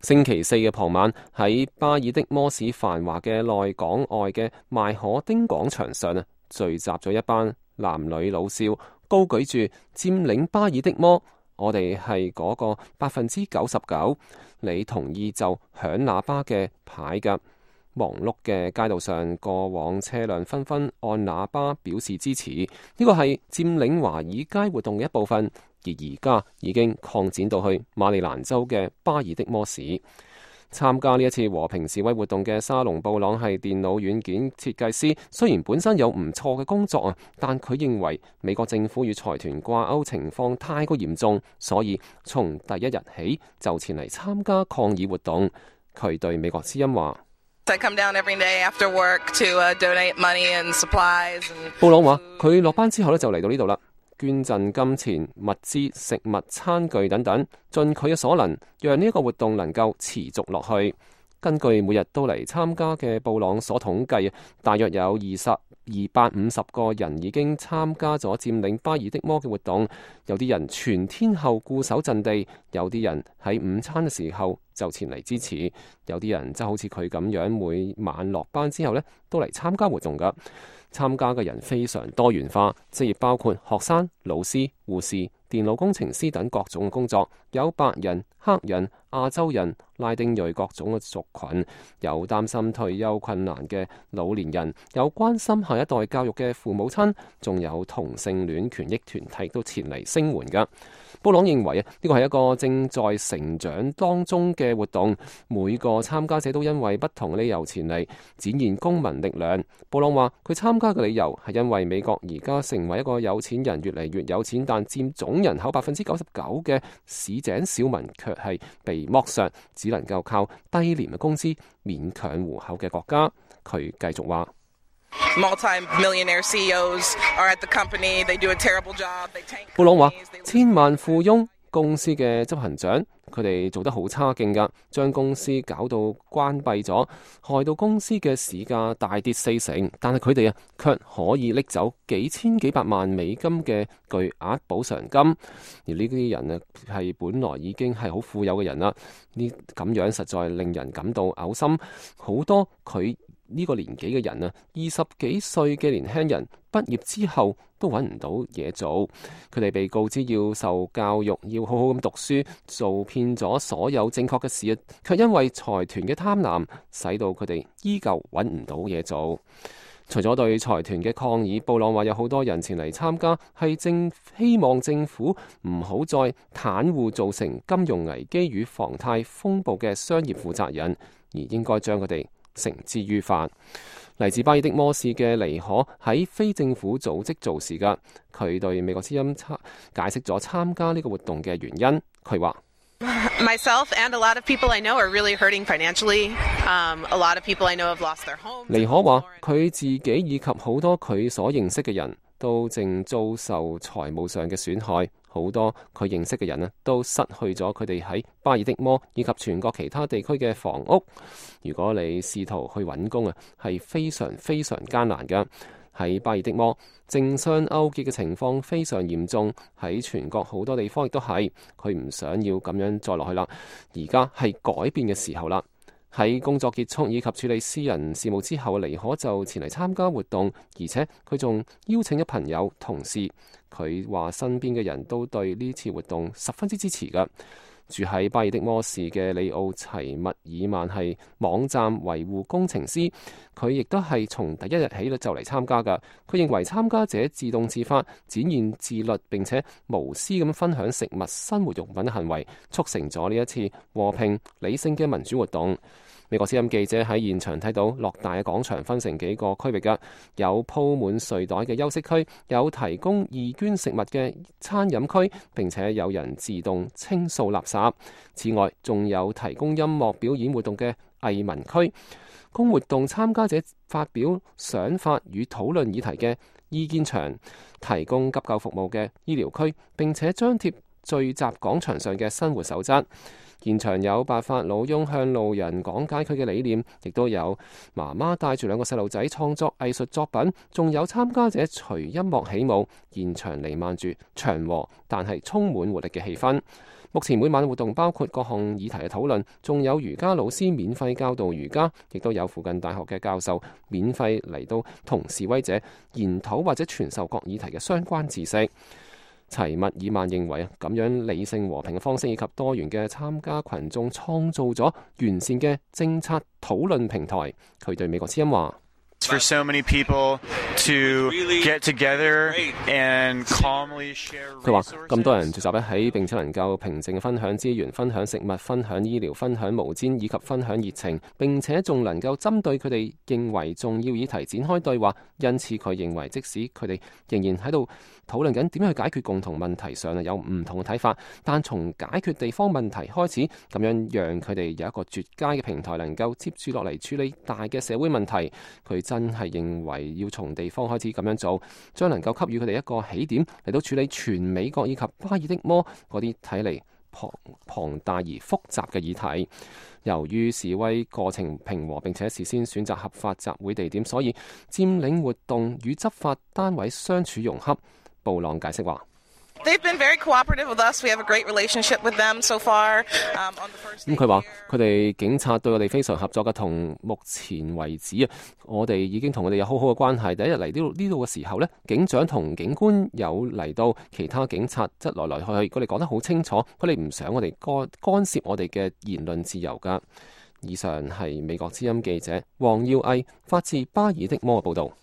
星期四嘅傍晚，喺巴爾的摩市繁華嘅內港外嘅邁可丁廣場上聚集咗一班男女老少，高舉住佔領巴爾的摩，我哋係嗰個99%，你同意就響喇叭嘅牌㗎。忙碌嘅街道上，過往車輛紛紛按喇叭表示支持，呢個係佔領華爾街活動嘅一部分，而而家已經擴展到去馬里蘭州嘅巴爾的摩市。參加呢一次和平示威活動嘅沙龍布朗係電腦軟件設計師，雖然本身有唔錯嘅工作但佢認為美國政府與財團掛鈎情況太過嚴重，所以從第一日起就前嚟參加抗議活動。佢對美國之音話：布朗話佢落班之後就嚟到呢度啦，捐贈金錢、物資、食物、餐具等等，盡佢嘅所能，讓呢一個活動能夠持續落去。根據每日都嚟參加嘅布朗所統計，大約有250個人已經參加咗佔領巴爾的摩嘅活動。有啲人全天候固守陣地，有啲人喺午餐嘅時候就前嚟支持，有啲人就好似佢咁樣，每晚落班之後都嚟參加活動㗎。參加嘅人非常多元化，職業包括學生、老師、護士、電腦工程師等各種嘅工作，有白人、黑人、亞洲人、拉丁裔各種嘅族群，有擔心退休困難嘅老年人，有關心下一代教育嘅父母親，仲有同性戀權益團體都前嚟聲援㗎。布朗認為呢個係一個正在成長當中嘅活動，每個參加者都因為不同理由前嚟展現公民力量。布朗話佢參加嘅理由係因為美國而家成為一個有錢人越嚟越有錢，但佔總人口99%嘅市井小民卻係被剝削，只能夠靠低廉嘅工資勉強糊口嘅國家。佢繼續話布朗話千萬富翁公司嘅執行長，佢哋做得好差勁㗎，將公司搞到關閉咗，害到公司嘅市價大跌40%，但係佢哋卻可以拎走幾千幾百萬美金嘅巨額補償金，而呢啲人係本來已經係好富有嘅人啦，呢咁樣實在令人感到嘔心。好多佢呢個年紀嘅人20幾歲嘅年輕人畢業之後都揾唔到嘢做，佢哋被告知要受教育，要好好咁讀書，做遍咗所有正確嘅事，卻因為財團嘅貪婪，使到佢哋依舊揾唔到嘢做。除咗對財團嘅抗議，布朗話有好多人前嚟參加，係希望政府唔好再袒護造成金融危機與房貸風暴嘅商業負責人，而應該將佢哋繩之於法。嚟自巴爾的摩市嘅尼可喺非政府組織做事㗎，佢對美國之音解釋咗參加呢個活動嘅原因。佢話尼可話佢自己以及好多佢所認識嘅人都正遭受財務上嘅損害，好多佢認識嘅人都失去咗佢哋喺巴爾的摩以及全國其他地區嘅房屋。如果你試圖去揾工係非常非常艱難嘅。喺巴爾的摩，政商勾結嘅情況非常嚴重，喺全國好多地方亦都係。佢唔想要咁樣再落去啦，而家係改變嘅時候啦。喺工作結束以及處理私人事務之後，尼可就前嚟參加活動，而且佢仲邀請咗朋友同事。佢話身邊嘅人都對呢次活動十分之支持㗎。住喺巴爾的摩市嘅里奧齊密爾曼係網站維護工程師，佢亦都係從第一日起就嚟參加㗎。佢認為參加者自動自發展現自律並且無私咁分享食物、生活用品嘅行為，促成咗呢一次和平理性嘅民主活動。美國之音記者喺現場睇到樂大嘅廣場分成幾個區域㗎，有鋪滿睡袋嘅休息區，有提供義捐食物嘅餐飲區，並且有人自動清掃垃圾。此外，仲有提供音樂表演活動嘅藝文區，供活動參加者發表想法與討論議題嘅意見場，提供急救服務嘅醫療區，並且張貼聚集廣場上嘅生活守則。現場有白髮老翁向路人講解佢嘅理念，亦都有媽媽帶住2個細路仔創作藝術作品，仲有參加者隨音樂起舞。現場彌漫住祥和但係充滿活力嘅氣氛。目前每晚活動包括各項議題嘅討論，仲有瑜伽老師免費教導瑜伽，亦都有附近大學嘅教授免費嚟到同示威者研討或者傳授各議題嘅相關知識。齊密爾曼認為咁樣理性和平嘅方式以及多元嘅參加群眾創造咗完善嘅政策討論平台。佢對美國之音話For so many people to get together and calmly share resources. 佢話咁多人聚集喺並且能夠平靜分享資源、分享食物、分享醫療、分享毛氈以及分享熱情，並且仲能夠針對佢哋認為重要議題展開對話。因此佢認為即使佢哋仍然喺度討論緊點樣去解決共同問題上有唔同嘅睇法，但從解決地方問題開始，咁樣讓佢哋有一個絕佳嘅平台能夠接住落嚟處理大嘅社會問題。佢真係認為要從地方開始咁樣做，將能夠給予佢哋一個起點嚟到處理全美國以及巴爾的摩嗰啲睇嚟龐大而複雜嘅議題。由於示威過程平和並且事先選擇合法集會地點，所以佔領活動與執法單位相處融洽。布朗解釋話They've been very cooperative with us. We have a great relationship with them so far. 佢話佢哋警察對我哋非常合作嘅，同目前為止我哋已經同佢哋有好好嘅關係。第一日嚟呢度嘅時候警長同警官有嚟到，其他警察則來來去去，佢哋講得好清楚，佢哋唔想我哋干涉我哋嘅言論自由㗎。以上係美國之音記者黃耀毅發自巴爾的摩嘅報導。